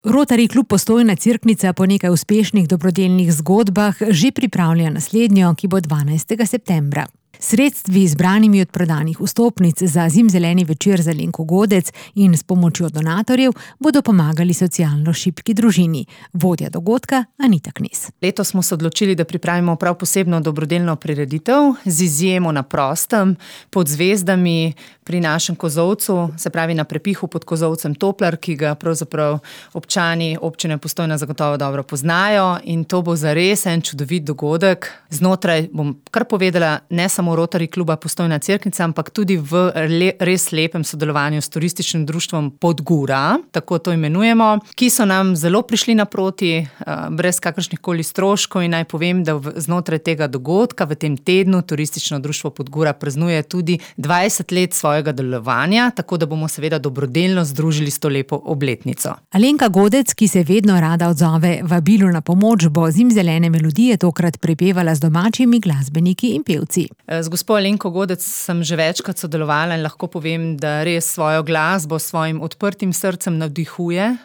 Rotary klub Postojna Cerknica po nekaj uspešnih dobrodelnih zgodbah že pripravlja naslednjo, ki bo 12. septembra. Sredstvi zbranimi od prodanih vstopnic za zimzeleni večer za Alenko Godec in s pomočjo donatorjev bodo pomagali socialno šibki družini. Vodja dogodka Anita Knez. Letos smo se odločili, da pripravimo prav posebno dobrodelno prireditev z izjemo na prostem, pod zvezdami pri našem kozolcu, se pravi na prepihu pod kozolcem Toplar, ki ga pravzaprav občani občine Postojna zagotovo dobro poznajo, in to bo zares en čudovit dogodek. Znotraj, bom kar povedala, ne samo Rotary kluba Postojna Cerknica, ampak tudi v res lepem sodelovanju s turističnim društvom Podgura, tako to imenujemo, ki so nam zelo prišli naproti, brez kakršnih koli stroškov, in naj povem, da znotraj tega dogodka v tem tednu turistično društvo Podgura praznuje tudi 20 let svojega delovanja, tako da bomo seveda dobrodelno združili s to lepo obletnico. Alenka Godec, ki se vedno rada odzove vabilu na pomoč, bo zimzelene melodije tokrat prepevala z domačimi glasbeniki in pevci. Z gospo Alenko Godec sem že večkrat sodelovala in lahko povem, da res svojo glasbo s svojim odprtim srcem navdihuje,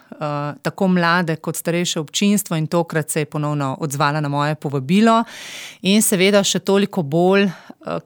tako mlade kot starejše občinstvo, in tokrat se je ponovno odzvala na moje povabilo. In seveda še toliko bolj,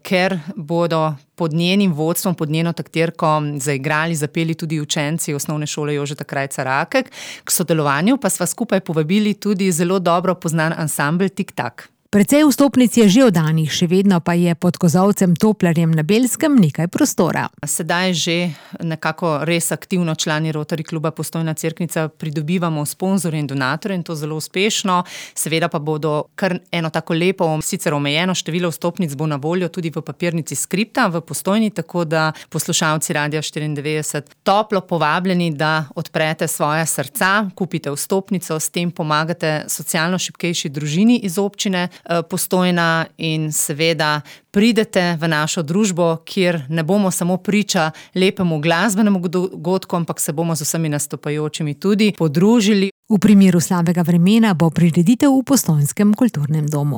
ker bodo pod njenim vodstvom, pod njeno taktirko zaigrali, zapeli tudi učenci osnovne šole Jožeta Krajca Rakek. K sodelovanju pa sva skupaj povabili tudi zelo dobro poznan ansambel Tik Tak. Precej vstopnic je že oddanih, še vedno pa je pod kozolcem Toplarjem na Belskem nekaj prostora. Sedaj že nekako res aktivno člani Rotary kluba Postojna Cerknica pridobivamo sponzorje in donatorje, in to zelo uspešno. Seveda pa bodo kar eno tako lepo, sicer omejeno število vstopnic bo na voljo tudi v papirnici Skripta v Postojni, tako da poslušalci Radia 94 toplo povabljeni, da odprete svoja srca, kupite vstopnico, s tem pomagate socialno šibkejši družini iz občine Postojna in seveda pridete v našo družbo, kjer ne bomo samo priča lepemu glasbenemu dogodku, ampak se bomo z vsemi nastopajočimi tudi podružili. V primeru slabega vremena bo prireditev v Postojnskem kulturnem domu.